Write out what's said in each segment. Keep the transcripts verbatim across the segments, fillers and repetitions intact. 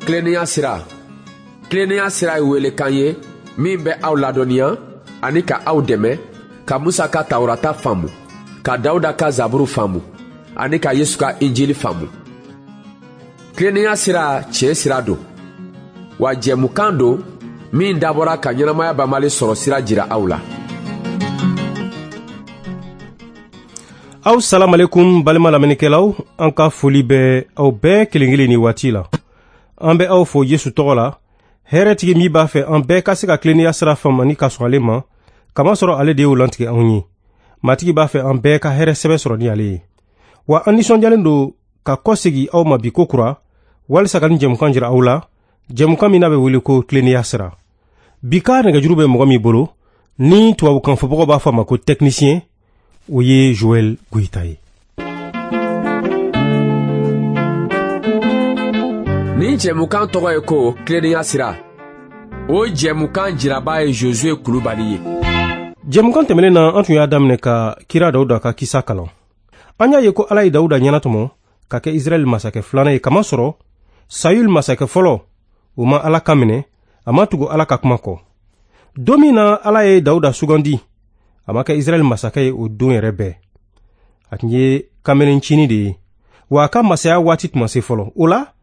Tilennenya sira. Tilennenya sira ye welekan ye min bɛ aw ladɔnniya ani ka aw dɛmɛ ka Musa ka Tawurata faamu, ka Dawuda ka Zaburu faamu ani ka Yesu ka Injili faamu. Tilennenya sira tiɲɛ sira don, wa jɛmukan don min dabɔra ka ɲɛnamaya banbali sɔrɔ sira jira aw la. Aw salamalekum balima lamɛnnikɛlaw, an ka foli bɛ aw bɛɛ kelen kelen ni waati la. An bɛ aw fo Yesu tɔgɔ la, hɛrɛtigi min b'a fɛ an bɛɛ ka se ka tilennenya sira faamu ani ka sɔn ale ma, kamasɔrɔ ale de y'o lantigɛ anw ye. Matigi b'a fɛ an bɛɛ ka hɛrɛ sɛbɛ sɔrɔ ni ale ye. Wa an nisɔndiyalen don ka kɔsegi aw ma bi ko kura, walisa ka nin jɛmukan jira aw la, jɛmukan min n'a bɛ wele ko tilennenya sira. Bi ka nɛgɛjuru bɛ mɔgɔ min bolo, ni tubabukan fɔbagaw b'a fɔ a ma ko technicien, o ye Joël Goïta ye. Nin jɛmukan tɔgɔ ye ko tilennenya sira. O jɛmukan jiraba ye Josué Kulubali ye. Jɛmukan tɛmɛnen na, an tun y'a daminɛ ka kira Dawuda ka kisa kalan. An y'a ye ko Ala ye Dawuda ɲɛnatɔmɔ ka kɛ Israɛl masakɛ filanan ye, kamasɔrɔ Sayul masakɛ fɔlɔ, o ma Ala kan minɛ, a ma tugu Ala ka kuma kɔ. Don min na Ala ye Dawuda sugandi, a ma kɛ Israɛl masakɛ ye o don yɛrɛ bɛɛ. A tun ye kamalencinin de ye, wa a ka masaya waati tun ma se fɔlɔ. O la,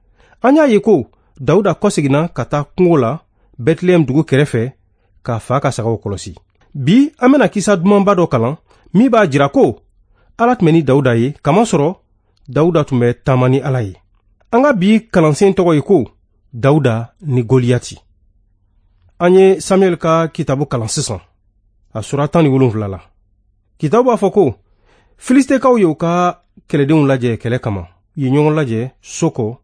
an y'a ye ko Dawuda kɔseginna ka taa kungo la Bɛtilɛhɛm dugu kɛrɛfɛ k'a fa ka sagaw kɔlɔsi. Bi an bɛna kisa dumanba dɔ kalan min b'a jira ko Ala tun bɛ ni Dawuda ye, kamasɔrɔ Dawuda tun bɛ taama ni Ala ye. An ka bi kalansen tɔgɔ ye ko Dawuda ni Goliyati. An ye Samuel ka kitabu kalan sisan, a sura tan ni wolonwula la. Kitabu b'a fɔ ko Filistekaw ye u ka kɛlɛdenw lajɛ kɛlɛ kama. U ye ɲɔgɔn lajɛ Soko,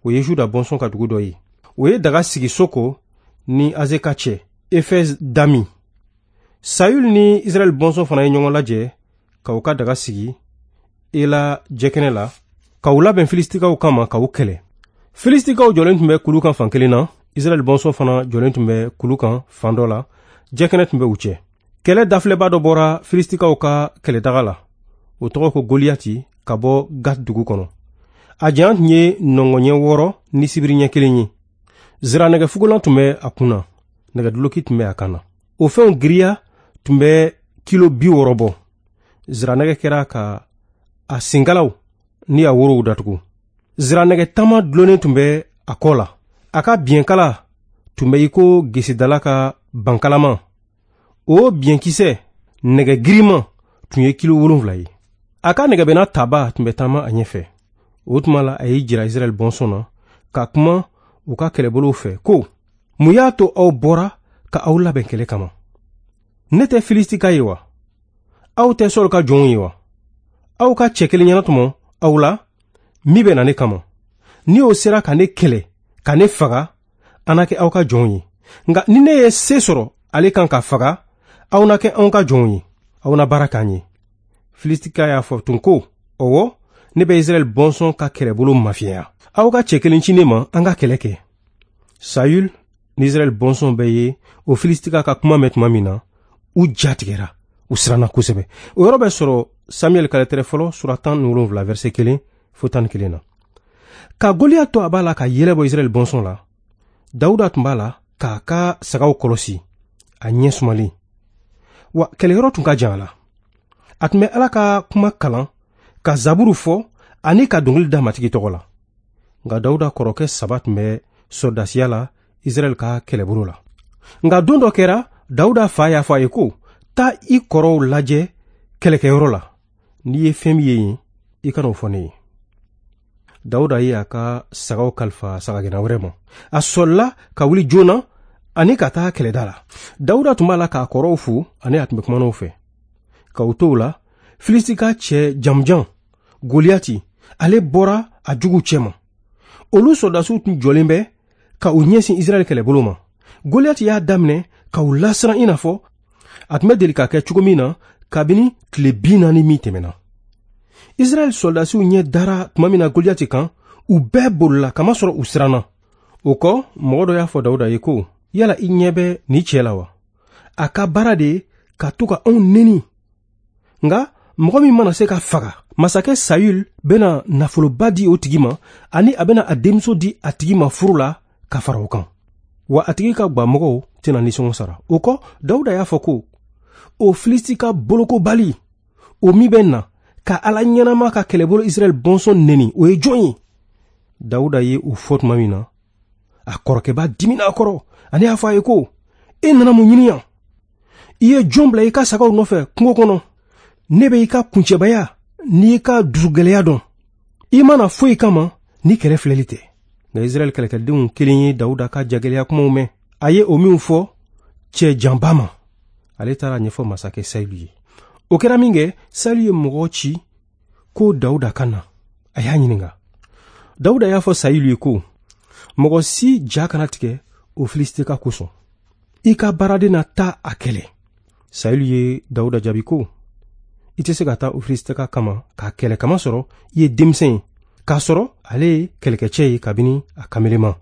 o ye Juda bɔnsɔn ka dugu dɔ ye. O ye daga sigi Soko ni Azeka cɛ, Efɛs Dami. Sayul ni Israɛl bɔnsɔn fana ye ɲɔgɔn lajɛ ka u ka daga sigi Ela jɛkɛnɛ la, ka u labɛn Filistikaw kama ka u kɛlɛ. Filistikaw jɔlen tun bɛ kulu kan fan kelen na, Israɛl bɔnsɔn fana jɔlen tun bɛ kulu kan fan dɔ la, jɛkɛnɛ tun bɛ u cɛ. Kɛlɛ dafilɛba dɔ bɔra Filistikaw ka kɛlɛdaga la, o tɔgɔ ko Goliyati, ka bɔ Gat dugu kɔnɔ. A janya tun ye nɔngɔnɲɛ wɔɔrɔ ni sibiriɲɛ kelen ye. Ziranɛgɛfugulan tun bɛ a kun na, nɛgɛduloki tun bɛ a kan na. O fɛnw giriya tun bɛ kilo bi wɔɔrɔ bɔ. Ziranɛgɛ kɛra ka a senkalaw ni a worow datugu. Ziranɛgɛ tama dulonnen tun bɛ a kɔ la. A ka biɲɛkala tun bɛ i ko gesedala ka bankalama. O biɲɛkisɛ nɛgɛ girinman tun ye kilo wolonwula ye. A ka nɛgɛbɛnna taba tun bɛ taama a ɲɛfɛ. O tuma la, a y'i jira Israɛl bɔnsɔn na ka kuma u ka kɛlɛbolow fɛ ko: mun y'a to aw bɔra ka aw labɛn kɛlɛ kama? Ne tɛ Filistika ye wa? Aw tɛ Sɔl ka jɔnw ye wa? Aw ka cɛ kelen ɲɛnatɔmɔ aw la min bɛ na ne kama. Ni o sera ka ne kɛlɛ ka ne faga, an na kɛ aw ka jɔnw ye. Nka ni ne ye se sɔrɔ ale kan ka faga, aw na kɛ anw ka jɔnw ye, aw na baara k'an ye. Filistika y'a fɔ tun ko: ɔwɔ, ne bɛ Israɛl bɔnsɔn ka kɛlɛbolo mafiɲɛya. Aw ka cɛ kelen ci ne ma, an ka kɛlɛ kɛ. Sayul ni Israɛl bɔnsɔn bɛɛ ye o Filistika ka kuma mɛn tuma min na, u ja tigɛra, u siranna kosɛbɛ. O yɔrɔ bɛ sɔrɔ Samuel ka lɛtɛrɛ fɔlɔ sura tan ni wolonwula verset kelen fo tan ni kelen na. Ka Goliyati to a b'a la ka yɛlɛ bɔ Israɛl bɔnsɔn la, Dawuda tun b'a la k'a ka sagaw kɔlɔsi, a ɲɛ sumalen. Wa kɛlɛyɔrɔ tun ka jan a la. A tun bɛ Ala ka kuma kalan, ka zaburu fɔ ani ka dɔnkili da Matigi tɔgɔ la. Nka Dawuda kɔrɔkɛ saba tun bɛ sɔrɔdasiya la Israɛl ka kɛlɛbolo la. Nka don dɔ kɛra, Dawuda fa y'a fɔ a ye ko: taa i kɔrɔw lajɛ kɛlɛkɛyɔrɔ la. N'i ye fɛn min ye yen, i kana o fɔ ne ye. Dawuda ye a ka sagaw kalifa sagagɛnna wɛrɛ ma. A sɔlila ka wuli joona ani ka taa kɛlɛda la. Dawuda tun b'a la k'a kɔrɔw fo ani a tun bɛ kuma n'o fɛ. Ka u to o la, Filistika cɛ jamujan Goliyati, ale bɔra a juguw cɛma. Olu sɔrɔdasiw tun jɔlen bɛ ka u ɲɛsin Israɛl kɛlɛbolo ma. Goliyati y'a daminɛ ka u lasiran i n'a fɔ a tun bɛ deli ka kɛ cogo min na kabini tile bi naani min tɛmɛna. Israɛl sɔrɔdasiw ɲɛ dara tuma min na Goliyati kan, u bɛɛ bolila kamasɔrɔ u siranna. O kɔ, mɔgɔ dɔ y'a fɔ Dawuda ye ko: yala i ɲɛ bɛ nin cɛ la wa? A ka baara de ye ka to ka anw neni. Nka mɔgɔ min mana se ka faga, masakɛ Sayul bɛna nafoloba di o tigi ma, ani a bɛna a denmuso di a tigi ma furu la ka fara o kan. Wa a tigi ka gwamɔgɔw tɛna nisɔngɔ sara. O kɔ, Dawuda y'a fɔ ko o Filistika bolokobali, o min bɛ na ka Ala ɲɛnama ka kɛlɛbolo Israɛl bɔnsɔn neni, o ye jɔn ye? Dawuda ye o fɔ tuma min na, a kɔrɔkɛba dimina a kɔrɔ, ani y'a fɔ a ye ko e nana mun ɲini yan? I ye jɔn bila i ka sagaw nɔfɛ kungo kɔnɔ? Ne bɛ i ka kuncɛbaya n'i ka dusugɛlɛya dɔn. I mana foyi kama ni kɛlɛ filɛli tɛ. Nka Israɛl kɛlɛkɛdenw kelen ye Dawuda ka jagɛlɛya kumaw mɛn. A ye o minw fɔ cɛ janba ma. Ale taara ɲɛfɔ masakɛ Sayilu ye. O kɛra min kɛ, Sayilu ye mɔgɔ ci ko Dawuda ka na. A y'a ɲininka. Dawuda y'a fɔ Sayilu ye ko mɔgɔ si ja kana tigɛ o Filistika kosɔn. I ka baaraden na taa a kɛlɛ. Sayilu ye Dawuda jaabi ko i tɛ se ka taa o Filistika kama k'a kɛlɛ kama sɔrɔ i ye denmisɛn ye, k'a sɔrɔ ale ye kɛlɛkɛcɛ ye kabini a kamelema.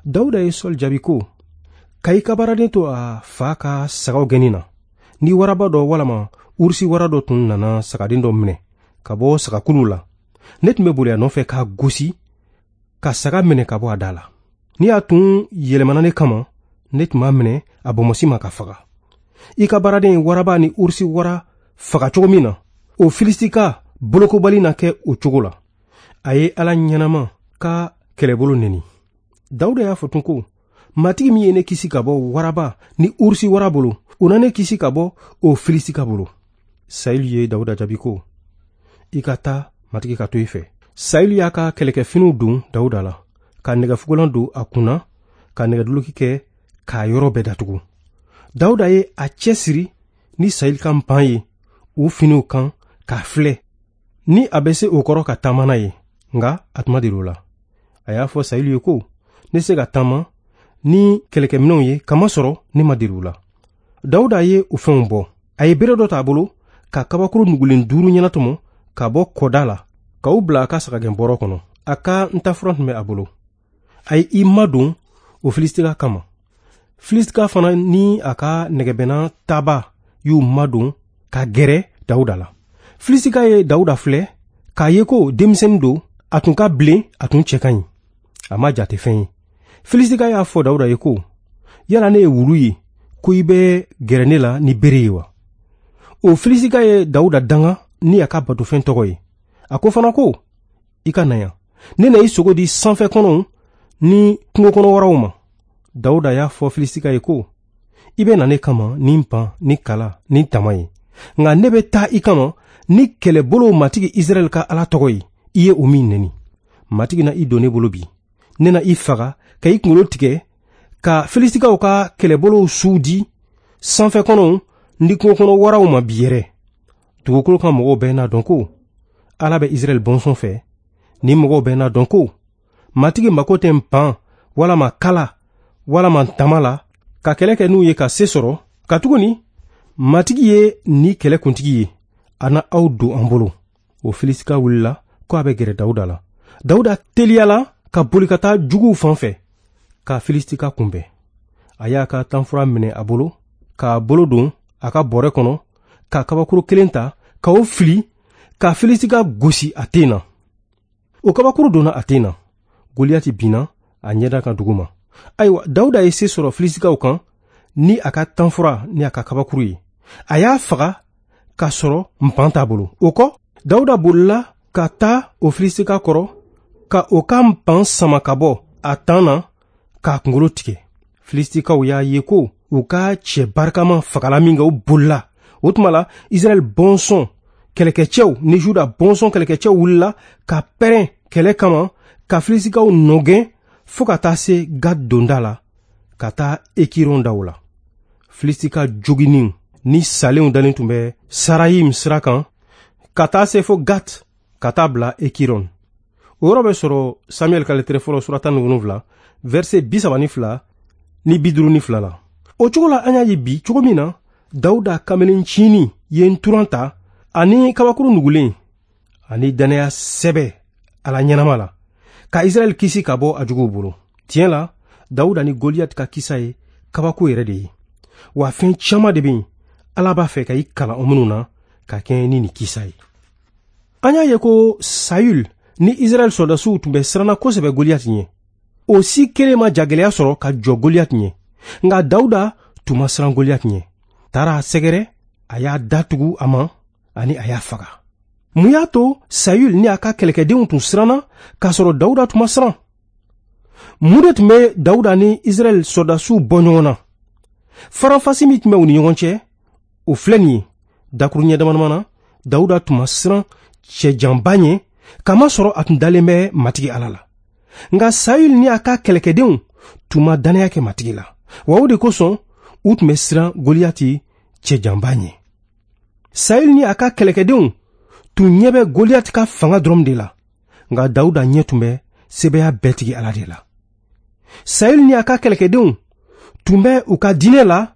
Dawuda ye Sɔli jaabi ko ka i ka baaraden to a fa ka sagaw gɛnni na. Ni waraba dɔ walama urusi wara dɔ tun nana sagaden dɔ minɛ ka bɔ sagakulu la, ne tun bɛ boli a nɔfɛ k'a gosi ka saga minɛ ka bɔ a da la. Ni a tun yɛlɛmana ne kama, ne tun b'a minɛ a bɔnbɔsi ma ka faga. I ka baaraden ye waraba ni urusi wara faga cogo min na, o Filistika bolokobali na kɛ o cogo la. A ye Ala ɲɛnama ka kɛlɛbolo neni. Dawuda y'a fɔ tun ko Matigi min ye ne kisi ka bɔ waraba ni urusi wara bolo, o na ne kisi ka bɔ o Filistika bolo. Sayilu ye Dawuda jaabi ko i ka taa, Matigi ka to i fɛ. Sayilu y'a ka kɛlɛkɛfiniw don Dawuda la, ka nɛgɛfugulan don a kunna, ka nɛgɛduloki kɛ k'a yɔrɔ bɛɛ datugu. Dawuda ye a cɛsiri ni Sayilu ka npan ye o finiw kan k'a filɛ ni a bɛ se o kɔrɔ ka taama n'a ye, nka a tun ma deli o la. A y'a fɔ Sayilu ye ko ne se ka taama ni kɛlɛkɛminɛnw ye, kamasɔrɔ ne ma deli u la. Dawuda ye o fɛnw bɔ. A ye bere dɔ t'a bolo ka kabakuru nugulen duuru ɲɛnatɔmɔ ka bɔ kɔda la k'u bila a ka sagagɛnbɔrɔ kɔnɔ. A ka ntafuran tun bɛ a bolo. A ye i madon o Filistika kama. Filistika fana ni a ka nɛgɛbɛnna taba y'u madon ka gɛrɛ Dawuda la. Filistika ye Dawuda filɛ k'a ye ko denmisɛnnin don, a tun ka bilen, a tun cɛ ka ɲi. A ma jate fɛn ye. Filistika y'a fɔ Dawuda ye ko yala ne ye wulu ye ko i bɛ gɛrɛ ne la ni bere ye wa? O Filistika ye Dawuda danga ni a ka batofɛn tɔgɔ ye. A ko fana ko i ka na yan, ne na i sogo di sanfɛ kɔnɔw ni kungo kɔnɔ waraw ma. Dawuda y'a fɔ Filistika ye ko i bɛ na ne kama ni npan ni kala ni tama ye, nka ne bɛ taa i kama ni kɛlɛbolow Matigi Israɛl ka Ala tɔgɔ ye, i ye o min neni. Matigi na i don ne bolo bi, ne na i faga ka i kunkolo tigɛ ka Filisitikaw ka kɛlɛbolow suw di sanfɛ kɔnɔw ni kungo kɔnɔ waraw ma bi yɛrɛ. Dugukolo kan mɔgɔw bɛɛ n'a dɔn ko Ala bɛ Israɛl bɔnsɔn fɛ. Ni mɔgɔw bɛɛ n'a dɔn ko Matigi mako tɛ npan walama kala walama tama la ka kɛlɛ kɛ n'u ye ka se sɔrɔ, katuguni Matigi ye ni kɛlɛkuntigi ye, a na aw don an bolo. O Filistika wulila ko a bɛ gɛrɛ Dawuda la. Dawuda teliyala ka boli ka taa juguw fan fɛ ka Filistika kunbɛn. A y'a ka tanfura minɛ a bolo, k'a bolo don a ka bɔrɛ kɔnɔ, ka kabakuru kelen ta ka o fili ka Filistika gosi a ten na. O kabakuru donna a ten na. Goliyati binna a ɲɛda kan duguma. Ayiwa, Dawuda ye se sɔrɔ Filisitikaw kan ni a ka tanfura ni a ka kabakuru ye. A y'a faga k'a sɔrɔ npan t'a bolo. O kɔ, Dawuda bolila ka taa o Filistika kɔrɔ ka o ka npan sama ka bɔ a tan na k'a kunkolo tigɛ. Filisitikaw y'a ye ko u ka cɛ barikama fagala min kɛ, u bolila. O tuma la, Israɛl bɔnsɔn kɛlɛkɛcɛw ni Juda bɔnsɔn kɛlɛkɛcɛw wulila ka pɛrɛn kɛlɛ kama ka Filisitikaw nɔgɛn fo ka taa se Gad donda la, ka taa Ekiron daw la. Filistika joginniw ni salenw dalen tun bɛ Sarayim sira kan ka taa se fo Gat, ka taa bila Ekiron. O yɔrɔ bɛ sɔrɔ Samuɛl ka lɛtɛrɛ fɔlɔ sura tan ni wolonwula, verset bi saba ni fila ni bi duuru ni fila la. O cogo la, an y'a ye bi cogo min na Dawuda kamalencinin ye nturan ta ani kabakuru nugulen ani dannaya sɛbɛ Ala ɲɛnama la ka Israɛl kisi ka bɔ a juguw bolo. Tiɲɛ la, Dawuda ni Goliyati ka kisa ye kabako yɛrɛ de ye. Wa fɛn caman de bɛ yen Ala b'a fɛ ka i kalan o minnu na ka kɛɲɛ ni nin kisa ye. An y'a ye ko Sayul ni Israɛl sɔrɔdasiw tun bɛ siranna kosɛbɛ Goliyati ɲɛ. o si kelen ma jagɛlɛya sɔrɔ ka jɔ Goliyati ɲɛ. Nka Dawuda tun ma siran Goliyati ɲɛ. Taara a sɛgɛrɛ, a y'a datugu a ma ani a y'a faga. Mun y'a to Sayul ni a ka kɛlɛkɛdenw tun siranna k'a sɔrɔ Dawuda tun ma siran? Mun de tun bɛ Dawuda ni Israɛl sɔrɔdasiw bɔ ɲɔgɔn na? Faranfasi min tun bɛ u ni ɲɔgɔn cɛ, o filɛ nin ye. Dakuruɲɛ damadama na, Dawuda tun ma siran cɛjanba ɲɛ, kamasɔrɔ a tun dalen bɛ Matigi Ala la. Nka Sayul ni a ka kɛlɛkɛdenw tun ma dannaya kɛ Matigi la. Wa o de kosɔn u tun bɛ siran Goliyati cɛjanba ɲɛ. Sayul ni a ka kɛlɛkɛdenw tun ɲɛ bɛ Goliyati ka fanga dɔrɔn de la, nka Dawuda ɲɛ tun bɛ sebaaya bɛɛ tigi Ala de la. Sayul ni a ka kɛlɛkɛdenw tun bɛ u ka diinɛ la,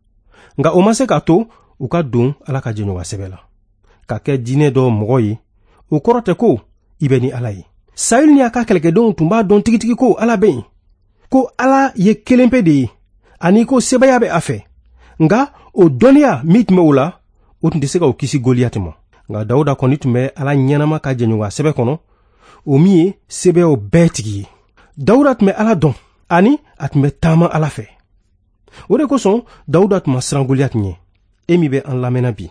nka o ma se k'a to u ka don Ala ka jɛɲɔgɔnya sɛbɛ la. Ka kɛ diinɛ dɔ mɔgɔ ye, o kɔrɔ tɛ ko i bɛ ni Ala ye. Sayul ni a ka kɛlɛkɛdenw tun b'a dɔn tigitigi ko Ala bɛ yen, ko Ala ye kelenpe de ye, ani ko sebaaya bɛ a fɛ. Nka o dɔnniya min tun bɛ o la, o tun tɛ se ka o kisi Goliyati ma. Nka Dawuda kɔni tun bɛ Ala ɲɛnama ka jɛɲɔgɔnya sɛbɛ kɔnɔ, o min ye sebayaw bɛɛ tigi ye. Dawuda tun bɛ Ala dɔn, ani a tun bɛ taama Ala fɛ. O de kosɔn Dawuda tun ma siran Goliyati ɲɛ. E min bɛ an lamɛnna bi,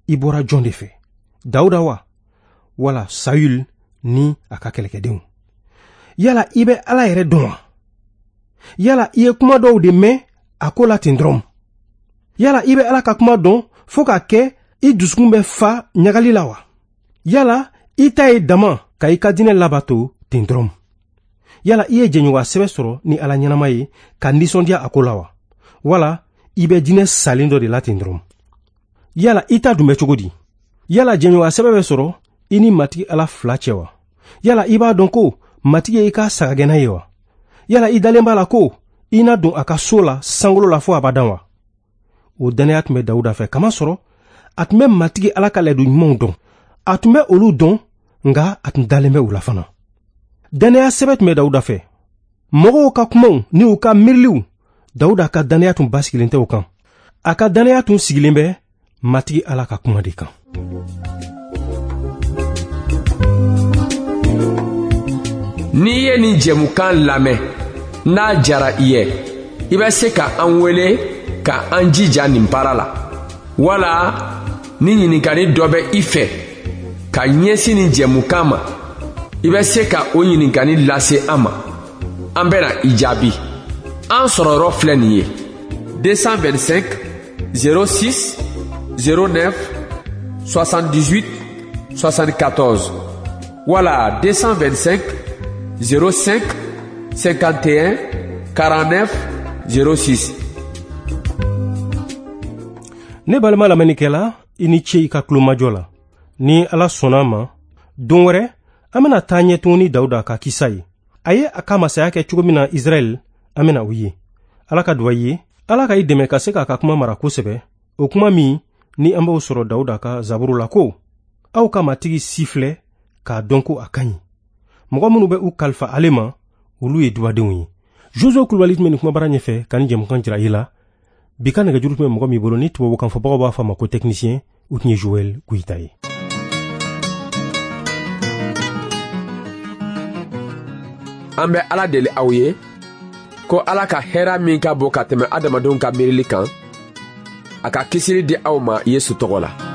i bɔra jɔn de fɛ? Dawuda wa, wala Sayul ni a ka kɛlɛkɛdenw? Yala i bɛ Ala yɛrɛ dɔn wa? Yala i ye kuma dɔw de mɛn a ko la ten dɔrɔn? Yala i bɛ Ala ka kuma dɔn fo k'a kɛ i dusukun bɛ fa ɲagali la wa? Yala i ta ye dama ka i ka diinɛ labato ten dɔrɔn? Yala i ye jɛɲɔgɔnya sɛbɛ sɔrɔ ni Ala ɲɛnama ye ka nisɔndiya a ko la wa? Wala i bɛ diinɛ salen dɔ de la ten dɔrɔn? Yala i ta dun bɛ cogo di? Yala jɛɲɔgɔnya sɛbɛ bɛ sɔrɔ i ni Matigi Ala fila cɛ wa? Yala i b'a dɔn ko Matigi ye i ka sagagɛnna ye wa? Yala i dalen b'a la ko i na don a ka so la sankolo la fo abadan wa? O dannaya tun bɛ Dawuda fɛ, kamasɔrɔ a tun bɛ Matigi Ala ka layidu ɲumanw dɔn. A tun bɛ olu dɔn, nka a tun dalen bɛ u la fana. Dannaya sɛbɛ tun bɛ Dawuda fɛ. Mɔgɔw ka kumaw ni u ka miiriliw, Dawuda ka dannaya tun basigilen tɛ o kan. A ka dannaya tun sigilen bɛ Matigi Ala ka kuma de kan. N'i ye nin jɛmukan lamɛn, n'a jara i ye, i bɛ se ka an wele ka an jija nin baara la. Wala ni ɲininkali dɔ bɛ i fɛ ka ɲɛsin nin jɛmukan ma, i bɛ se ka o ɲininkali lase an ma. An bɛna i jaabi. An sɔrɔ yɔrɔ filɛ nin ye: deux cent vingt-cinq zéro six zéro neuf soixante-dix-huit soixante-quatorze wala deux cent vingt-cinq zéro cinq cinquante et un quarante-neuf zéro six. Ne balima lamɛnnikɛla, i ni ce i ka tulomajɔ la. Ni Ala sɔnna a ma, don wɛrɛ an bɛna taa ɲɛ tuguni Dawuda ka kisa ye. A ye a ka masaya kɛ cogo min na Israɛl, an bɛna o ye. Ala ka duwa i ye, Ala ka i dɛmɛ ka se k'a ka kuma mara kosɛbɛ. O kuma min ni an b'o sɔrɔ Dawuda ka zaburu la ko: aw ka Matigi si filɛ k'a dɔn ko a ka ɲi. Mɔgɔ minnu bɛ u kalifa ale ma, olu ye dubadenw ye. Jozo Kulubali tun bɛ nin kumabara ɲɛfɛ ka nin jɛmukan jira i la. Bi ka nɛgɛjuru tun bɛ mɔgɔ min bolo ni tubabukan fɔbagaw b'a fɔ a ma ko technicien, o tun ye Joël Goyita ye. An bɛ Ala deli aw ye ko Ala ka hɛrɛ min ka bon ka tɛmɛ adamadenw ka miirili kan, a ka kisili di aw ma Yesu tɔgɔ la.